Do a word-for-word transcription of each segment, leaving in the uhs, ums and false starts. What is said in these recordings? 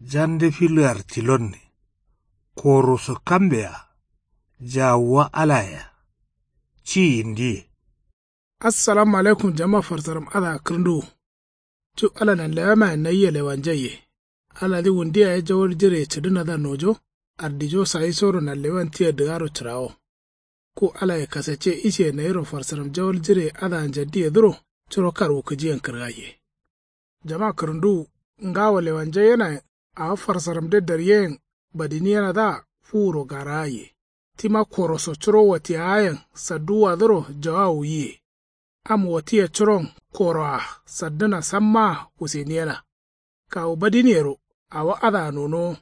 Jande fillar tilonne. Koroso kambe-a. Jawuwa alaye-a. Ci yindiye. Assalamu alaikum jama farsaram adǝa kǝrǝnduwu. Cu ala nanlewamayen nayia lewanjaiye. Aladǝ wundu yaye jawal jireye cǝdǝnadǝa nojo. Ardijo sayisoro nanlewan tia dǝgaro cǝrawo. Ku alaye kasacce isiye nayiro farsaram jawal jireye adǝa njaddiyedǝro. Curo karwu kǝjiyen kǝrgaiye. Jama kǝrǝnduwu. Ngawo lewanjaiyena-ye. Awo farsaramde daryeyen badiniyenadǝa fuwuro garagaiye. Tima koroso curo watiyawayen sadduwwadǝro jawawu yiye. Am watiya curon koroa saddǝna sammaa wuseniyena. Kawu badiniyero awo adǝa nonowo.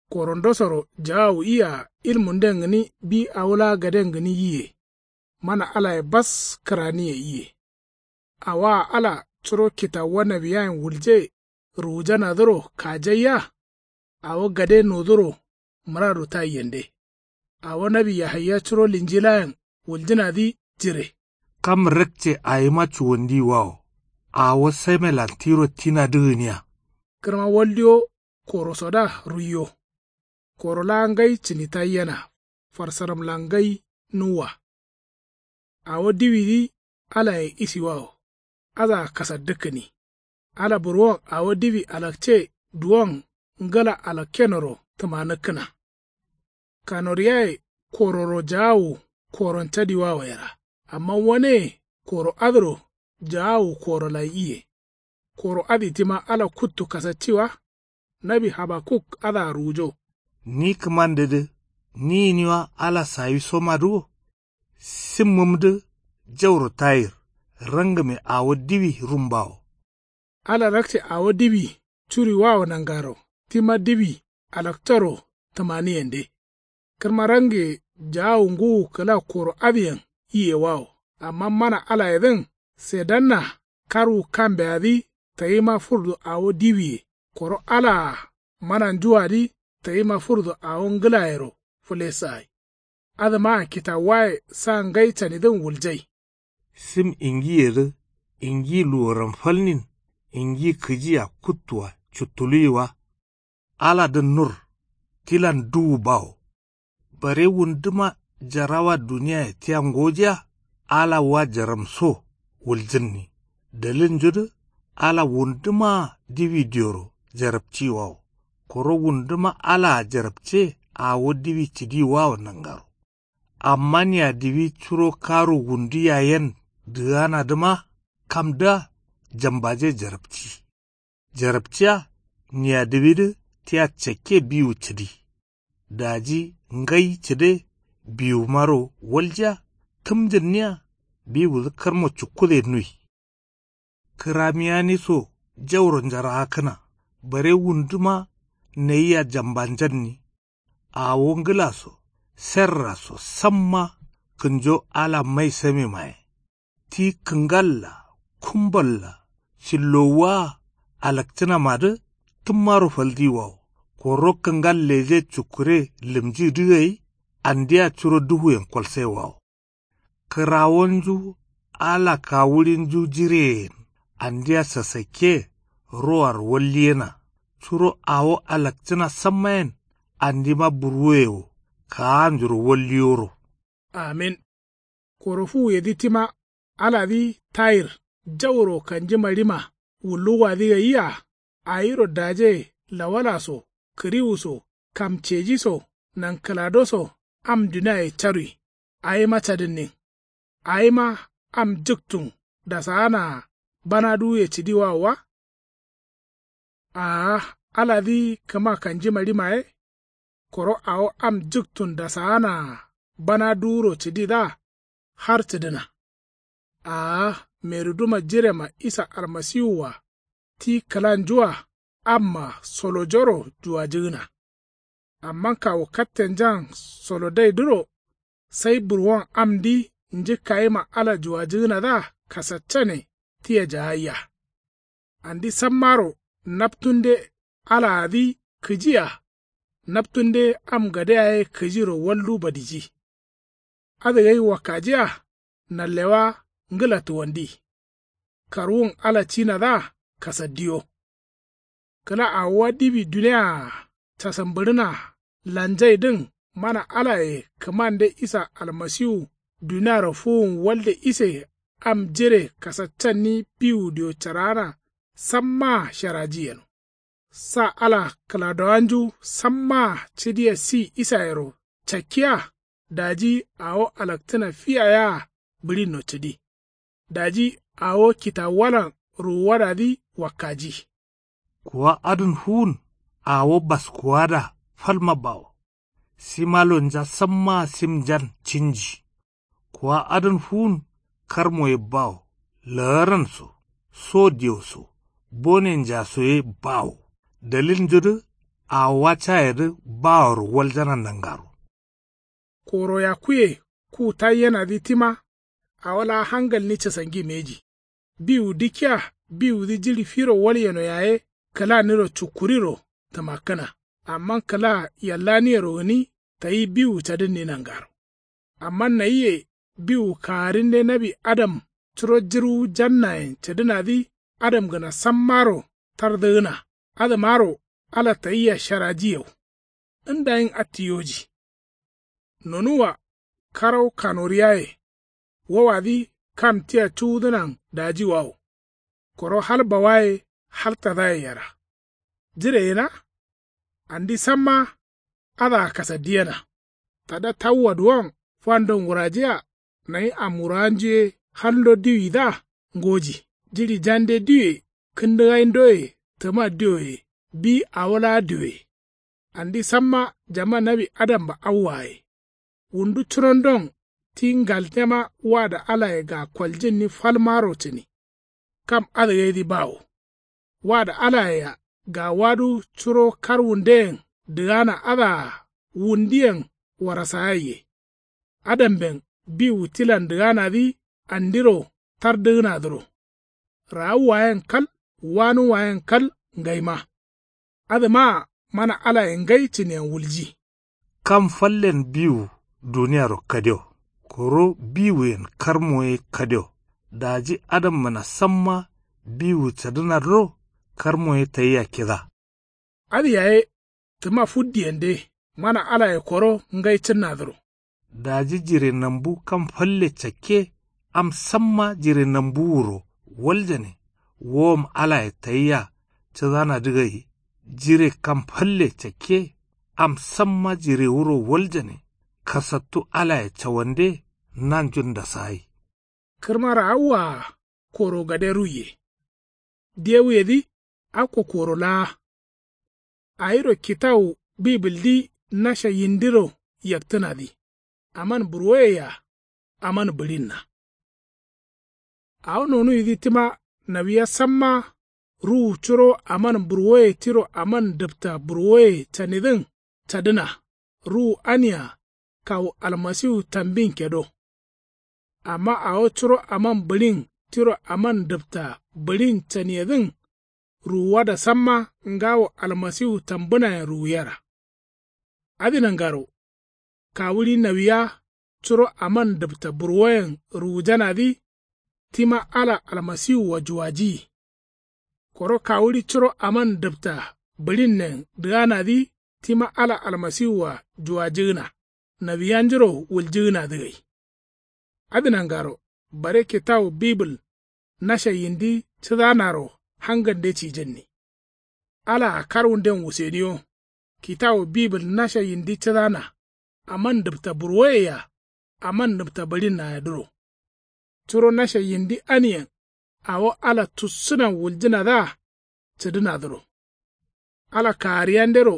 Korondosoro jawawu iya ilmunden gǝni bi awo laa gaden gǝni yiye. Mana alaye bas kǝraniye iye. Awoa ala curo kitawuwa nawiyayen wulje ruwujanadǝro kajaiya. Awo gade noduro mǝradu taiyende. Awo nawi yahaya curo linjilayen wuljǝnadǝ jire. Kam rakce awima cuwandiwawo. Awo samelan tiro tinadǝ gǝniya. Kǝrma waldiwo korosodǝa ruiyo. Koro laa ngai cǝnitaiyena. Farsaramlan ngai nuwwa. Awo diwidǝ alaye isiwawo. Adǝa kasaddǝkkǝni. Ala burwon awo diwi alakce duwon ngǝla alakkenoro tǝmanǝkkǝna. Kanoriyaye kororo jaawu koron cadiwawo yera. Amma waneye koro adǝro jaawu korolan iye. Koro adǝ tima ala kuttu kasacci wa. Nawi habakuk adǝa ruwujo. Ni kǝmandedǝ ni gǝni wa ala sawisomadǝ wo. Simmǝmdǝ jauro tayir. Rangǝme awo diwi rumbawo. Ala rakce awo diwi curiwawo nangaro tima diwi alaktoro tǝmaniyende. Kǝrma range jaawu ngǝwu kǝla koro adǝyen iyewawo. Amma mana alayedǝn sedanna karwu kambeadǝ tayima fǝrdu awo diwiye. Koro alaa mananjuwadǝ tayima fǝrdu awo ngǝlayero fǝlesai. Adǝmaa kitawuwaye sa ngai canidǝn wuljai. Sim ingiyedǝ ingi luworam falnin ingi kǝjia kuttua cuttuluwi wa. Aladǝn nur tilan duwu bawo. Bare wunduma jarawa duniyaye tia ngojiya. Ala wa jaramso wuljǝnni. Dalilnjudǝ ala wundumaa diwi dioro jarapciwawo. Koro wunduma alaa jarapce awo diwi cǝdiwawo nangaro. Amma niyadiwi curo karu wundu yayen dǝganadǝma kamdǝa jambaje jarapci. Jarapciya niyadiwidǝ tia cakke biwu cǝdi. Daji ngai cǝde biwumaro waljiya. Kǝmjǝnniya biwudǝ karmo cukkude nui. Kǝramiyani so jauro njaraakǝna. Bare wunduma nayia jambanjanni. Awo ngǝla so serra so samma kǝnjo ala mai samemaye. Ti kǝngalla kumballa cillowuwaa alakcǝnamadǝ tǝmmaro faldiwawo. Koro kǝngal leje cukkure lǝmjidǝ gai andia curo duhuyen kolsaiwawo. Kǝrawonju ala kawuɍinju jireyen andia sasakke roaro walliyena. Curo awo alakcǝna sammayen andima burwoye wo kaanjuro walliyoro. Amin. Koro fuwuyedǝ tima aladǝ tayir jauro kanjima rima wulluwwadǝ gaiya. Awiro daje lawala so kǝriwu so kamceji so nankǝlado so am duniaye carui. Awima cadǝnnin. Awima am jǝktun dasaanaa bana duwuye cǝdiwawo wa. Aa aladǝ kǝma kanjima rima ye. Koro awo am jǝktun dasaanaa bana duwuro cǝdidǝa har cǝdǝna. Aa meriduma jirema isa almasiwua ti kǝlanjua amma solojoro juwajǝgǝna. Amma kawu kattenjan solodaidǝro sai burwon amdǝ njǝkkayima ala juwajǝgǝnadǝa kasaccane tia jagaiya. Andi sammaro naptunde alaadǝ kǝjia. Naptunde am gade yaye kǝjiro waldu badiji. Adǝ gai wakkajia nallewa ngǝla tuwandi. Karwun ala cinadǝa kasaddiyo. Kǝla awowa diwi duniyaa casambǝɍǝna lanjaidǝn mana alaye kǝmande isa almasiwu duniaro fuwun walde ise am jire kasaccanni biwu dio cǝraana sammaa sharaji yeno. Sa ala kǝladowanju sammaa cǝdiya si isayero cakkiya. Daji awo alaktǝna fiya yea bǝɍinno cǝdi. Daji awo kitawuwalan ruwuwadadǝ wakkaji. Kuwa adǝn fuwun awo baskuwada falma bawo. Simalonja sammaa simnjan cinji. Kuwa adǝn fuwun karmoye bawo. Laaran so so diyo so bonenja so ye bawo. Dalilnjudǝ awowa cayedǝ baworo waljana nangaro. Koro yakkuye ku taiyenadǝ tima awo laa hangalni casangi mbeji. Biwu dikkiya biwudǝ jiɍi firo walyeno yaye kǝlaniro cukkuriro tǝmakkǝna. Amma kǝla yallaniyero gǝni tayi biwu cadǝnni nangaro. Amma nayiye biwu kagarinde nawi adam curo jǝrwu jannayen cǝdǝnadǝ adamgǝna sammaro tardǝgǝna. Adǝmaro ala tayia sharaji yau. Ndayin attiyoji. Nonuwwa karau kanoriyaye. Wowadǝ kam tia cuwudǝnan dajiwawo. Koro hal bawaye hal tadaye yera. Jire yena. Andi samma adǝa kasaddiyena. Tada tawuwa duwon fandon wurajiya. Nayi amwurawanju ye halndo diwidǝa ngoji. Jiɍi jande diwe kǝndǝgaindo ye tǝma diwo ye bi awo laa diwe. Andi samma jama nawi adamba awwaye. Wundu curondon ti ngaltema wada alaye ga koljǝnni falmaro cǝni. Kam adǝgaidǝ bawo. Wada alayea gawadu curo karwundeyen dǝgana adǝa wundiyen warasayaiye. Adamben biwu tilan dǝganadǝ andiro tardǝgǝnadǝro. Raawuwayen kal wanuwayen kal ngaima. Adǝmaa mana alaye ngai cǝniyen wulji. Kam fallen biwu duniyaro kadio. Koro biwuyen karmo ye kadio. Daji adamgǝna samma biwu cadǝnadǝro karmo ye tayia kida. Adǝ yaye tǝma fuddiyende mana alaye koro ngai cǝnnadǝro. Daji jire nambu kam falle cakke am samma jire nambuwuro waljane. Wowom alaye tayia cǝdanadǝ gai. Jire kam falle cakke am samma jirewuro waljane. Kasattu alaye cawande nanjun ndasagai. Kǝrma raawwaa koro gade ruiye. Dewuyedǝ akko koro laa. Awiro kitawu bibildǝ nasha yindiro yaktǝnadǝ aman burwoyea aman bǝɍinna. Awo nonuwidǝ tima nawiya samma ruwu curo aman burwoye tiro aman dǝpta burwoye canidǝn cadǝna. Ruwu ania kawu almasiwu tambin kedo. Amma awo curo aman bǝɍin tiro aman dǝpta bǝɍin caniyedǝn ruwuwada samma ngawo almasiwu tambǝnayen ruwuyera. Adǝ nangaro kawuɍi nawiya curo aman dǝpta burwoyen ruwujanadǝ tima ala almasiwua juwajiyi. Koro kawuɍi curo aman dǝpta bǝɍinnen dǝganadǝ tima ala almasiwua juwajigǝna nawiyanjuro wuljigǝnadǝ gai. Adǝ nangaro bare kitawu bibǝl nasha yindi cǝdanaro hangande cijǝnni. Alaa karwunden wuseniyo. Kitawu bibǝl nasha yindi cǝdana aman dǝpta burwoyea aman dǝpta bǝɍinnayedǝro. Curo nasha yindi aniyen awo ala tussǝnan wuljǝnadǝa cǝdǝnadǝro. Ala kagariyandero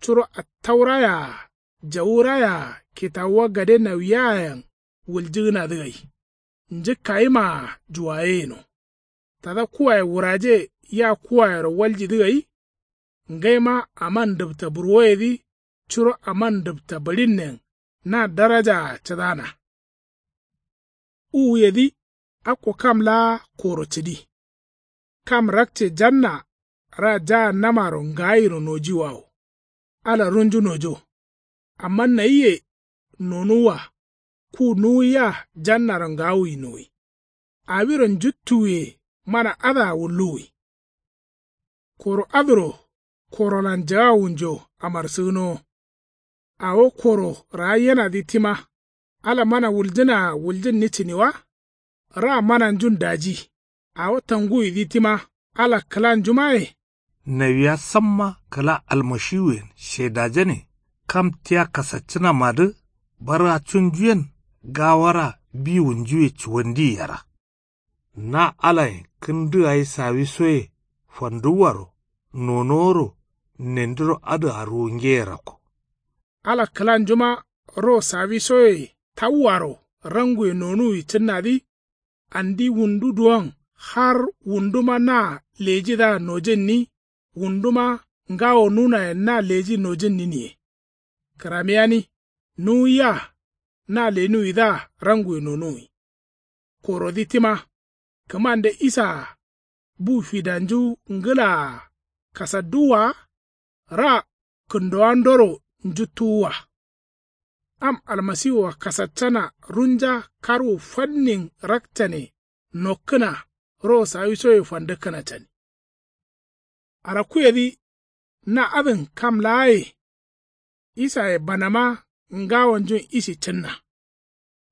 curo attaurayeaa jawurayeaa kitawuwa gade nawiyayen wuljǝgǝnadǝ gai. Njǝkkayimaa juwaye yeno. Tada kuwaye wuraje ya kuwayero waljidǝ gai. Ngaima aman dǝpta burwoyedǝ curo aman dǝpta bǝɍinnen na darajaa cǝdana. Uwuyedǝ akko kam laa koro cǝdi. Kam rakce janna ra jahannamaro ngaayiro nojiwawo. Ala runju nojo. Amma nayiye nonuwwa ku nuwiya jannaro ngaawuyi nuwi. Awiro njuttuwuye mana adǝa wulluwwi. Koro adǝro korolan jagawunjo amarsǝgǝnowo. Awo koro raayyenadǝ tima ala mana wuljǝnaa wuljǝnni cǝni wa? Ra mananjun daji. Awo tanguwidǝ tima ala kǝlanjumaye. Nawiya samma kǝla almashiwuyen shedajane. Kam tia kasaccǝnamadǝ bargacunjuyen gawara biwunjuwe cuwandiye yera. Na alayen kǝndǝ gai sawisoye fanduwwaro nonoworo nendiro adǝa ruwungeye rakko. Ala kǝlanjuma ro sawisoye tawwaro ranguwe nonuwi cǝnnadǝ. Andi wundu duwon har wunduma na lejidǝa nojǝnni. Wunduma ngawo nunayen na leji nojǝnniniye. Kǝramiyani nuwuya na lenuwidǝa ranguwe nonuwi. Korodǝ tima kǝmande isaa bu fidanju ngǝlaa kasadduwwa wa? Ra kǝndowandoro njuttuwwa. Am almasiwua kasaccana runja karwu fannin rakcane nokkǝna ro sawisoye fandǝkkǝna cani. Arakkuyedǝ na adǝn kam laaye. Isaye banama ngawonjun ishi cǝnna.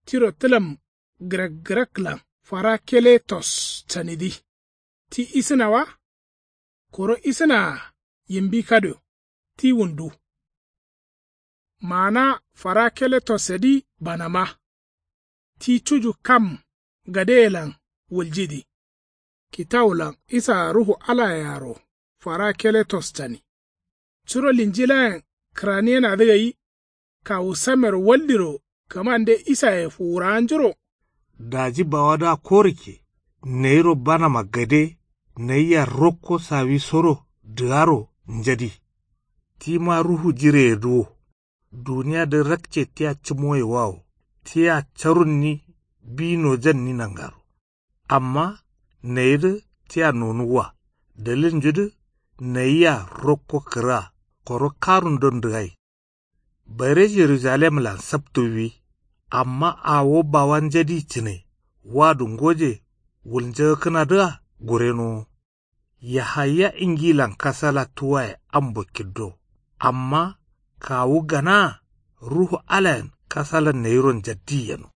Tiro tǝlam gǝrakgǝraklan farakeletos canidǝ. Ti isǝna wa? Koro isǝnaa yimbi kadio ti wundu. Maana farakeletossedǝ banama. Ti cuju kam gadeyelan wuljidǝ. Kitawulan isaa ruhu alayearo farakeletos cani. Curo linjilayen kǝraniyenadǝ gai kawu samero waldiro kǝmande isaye fuwurawanjuro. Daji bawadǝa korikke nayiro banama gade nayia rokko sawisoro dǝgaro njadi. Tima ruhu jireyedǝ wo. Duniyadǝ rakce tia cǝmoye wawo tia carunni bi nojanni nangaro. Amma nayidǝ tia nonuwwa dalilnjudǝ nayia rokko kǝrǝa koro karundon dǝgai. Bare jerujalemlan saptuwwi. Amma awo bawa njadi cǝne wadu ngoje wulnjagakkǝnadǝa gurenowo. Yahaya ingilan kasala tuwaye ambo kiddo. Amma kawu ganaa ruhu alayen kasala nayiro njaddi yeno.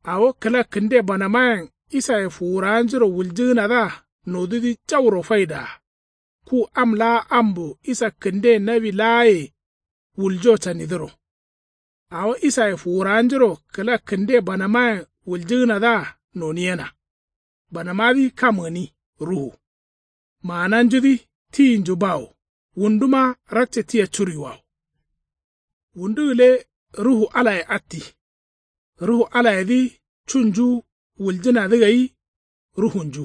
Awo kǝla kǝnde banamayen isaye fuwurawanjuro wuljǝgǝnadǝa nodudǝ jauro faidaa. Ku am laa ambo isa kǝnde nawi laaye wuljo canidǝro. Awo isaye fuwurawanjuro kǝla kǝnde banamayen wuljǝgǝnadǝa noniyena. Banamadǝ kam gǝni ruhu. Maananjudǝ tiyinju bawo. Wunduma rakce tia curuiwawo. Wundu gǝle ruhu alaye atti. Ruhu alayedǝ cunju wuljǝnadǝ gai ruhunju.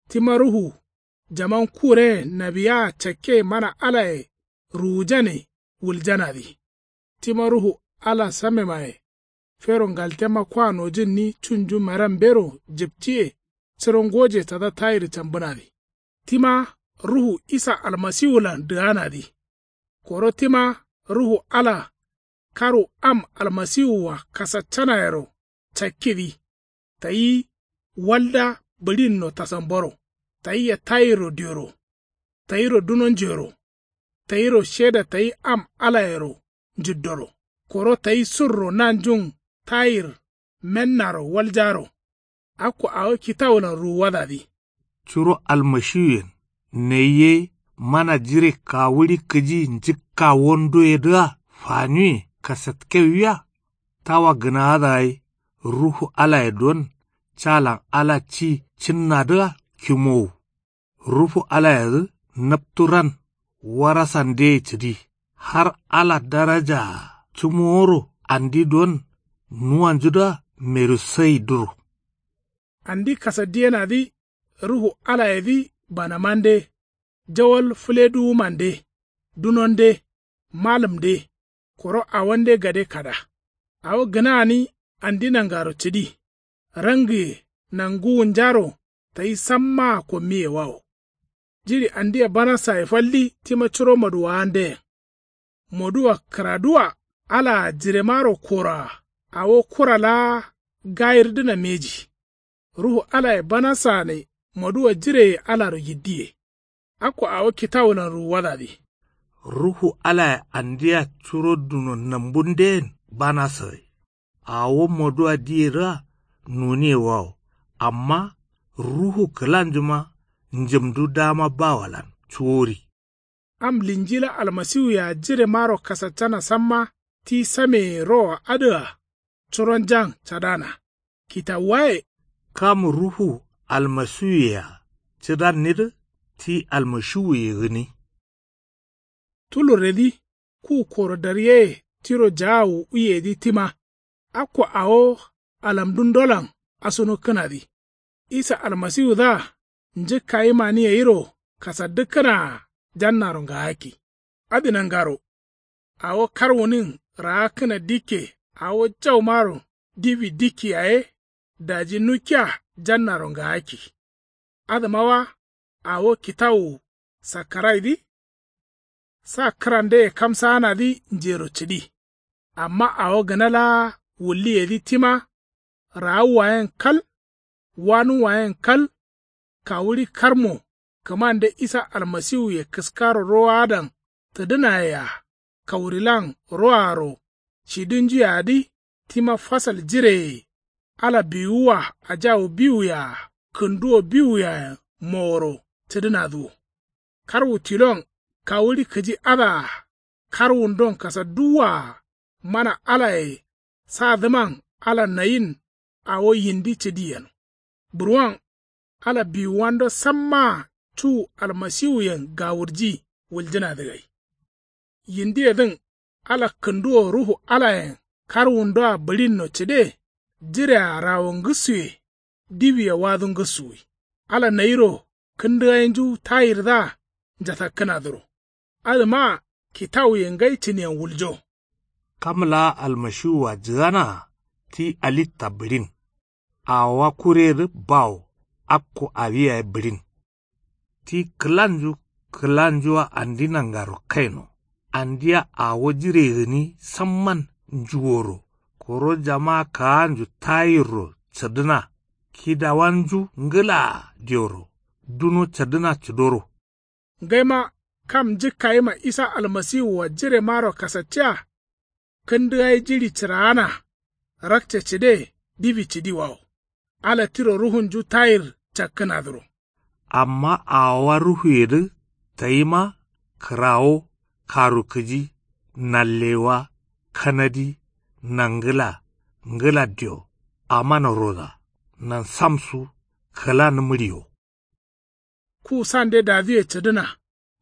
Tima ruhu jaman kure nawiyaa cakke mana alaye ruwujane wuljanadǝ. Tima ruhu ala samemaye fero ngaltema kwa nojǝnni cunju meram bero jǝptiye curo ngoje tada tayir cambǝnadǝ. Tima ruhu isa almasiwulan dǝganadǝ. Koro tima ruhu ala karu am almasiwua kasaccanayero cakkidǝ. Tayi walda bǝɍinno tasamboro. Tayia tayirro dioro. Tayiro dunonjero. Tayiro sheda tayi am alayero njiddoro. Koro tayi surro nanjun tayir mennaro waljaro. Akko awo kitawulan ruwuwadadǝ. Curo almashiwuyen nayi ye mana jire kawuɍi kǝji njǝkkawondoyedǝa faniwuye kasatkewuya. Tawa gǝnaadǝa ye ruhu alaye don calan ala ci cǝnnadǝa kimowu. Ruhu alayedǝ naptu ran warasandeye cǝdi har ala darajaa cǝmoworo andi don nuwanjudǝa merusaidǝro. Andi kasaddiyenadǝ ruhu alayedǝ banamande jawal fǝleduwumande dunonde malǝmde koro awonde gade kada. Awo gǝna gǝni andi nangaro cǝdi. Rangǝye nanguwunjaro tayi sammaa kommiye wawo. Jiɍi andia banasaye faldi tima curo moduwawandeyen. Moduwa kǝraduwa alaa jiremaro koroa awo kura laa gayirdǝna mbeji. Ruhu alaye banasaane moduwa jireye alaro yiddiye. Akko awo kitawulan ruwuwadadǝ. Ruhu alaye andiya curo duno nambundeyen banaso gai. Awo moduwa diyedǝa noniye wawo. Amma ruhu kǝlanjuma njǝmdu dama bawolan cuwori. Am linjila almasiwuyea jiremaro kasaccana samma ti sameye roa adǝa curonjan cadana. Kitawuwaye. Kam ruhu almasiwuyea cǝdannidǝ ti almashiwuye gǝni. Tulurredǝ ku koro daryeye tiro jaawu uyedǝ tima. Akko awo alamdundolan asunukkǝnadǝ. Isa almasiwudǝa njǝkkayimani gairo kasaddǝkkǝnaa jannaro ngaakki. Adǝ nangaro awo karwunin raakkǝna dikke awo jaumaro diwi dikki yaye daji nukkiya jannaro ngaakki. Adǝma wa awo kitawu sakkaraidǝ. Sa kǝrandeye kamsaanadǝ njero cǝdi. Amma awo gǝna laa wulliyedǝ tima. Raawuwayen kal wanuwayen kal. Kawuɍi karmo kǝmande isa almasiwuye kǝskaro rowadan tǝdǝnayea kawurilan roaro cidunjuyadǝ tima fasal jireye ala biwuwa ajawu biwuyea kǝnduwo biwuyeayen moworo cǝdǝnadǝ wo. Karwu tilon kawuɍi kǝji adǝa karwundon kasadduwwaa mana alaye sadǝman ala nayin awo yindi cǝdi yeno. Burwon ala biwuwando sammaa cu almasiwuyen gawurji wuljǝnadǝ gai. Yindiyedǝn ala kǝnduwo ruhu alayen karwundoa bǝɍinno cǝde jirea rawo ngǝssuye diwiye wadu ngǝssuwi. Ala nayiro kǝndǝgainju tayirdǝa njatakkǝnadǝro. Adǝmaa kitawuye ngai cǝniyen wuljo. Kam laa almashiwua jǝganaa ti alitta bǝɍin. Awowa kuredǝ bawo akko awi yaye bǝɍin. Ti kǝlanju kǝlanjua andi nangaro kaino. Andia awo jire gǝni samman njuworo koro jama kaanju tayirro cǝdǝna. Kidawanju ngǝlaa dioro duno cǝdǝna cǝdoro. Ngaima kam njǝkkayima isa almasiwua jiremaro kasaccea. Kǝndǝgai jiɍi cǝraana rakce cǝde diwi cǝdiwawo. Ala tiro ruhunju tayir cakkǝnadǝro. Amma awowa ruhuyedǝ tayima kǝrawo karukǝji nallewa kanadi nangǝla ngǝla dio amana roda nansamsu kǝlanǝmǝɍiyo. Ku sande daduye cǝdǝna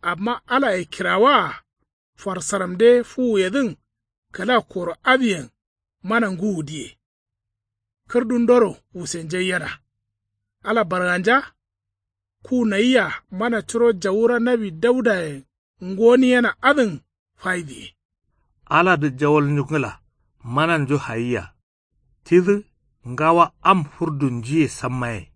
amma alaye kirawaa farsaramde fuwuyedǝn kǝla koro adǝyen mana ngǝwu diye. Kǝrdundoro wusenjaiyena. Ala barganja. Ku nayia mana curo jawura nawi daudayen ngoniyena adǝn faidiye. Aladǝ jawalnju ngǝla mananju hayia. Tidǝ ngawa am furdunjuye sammaye.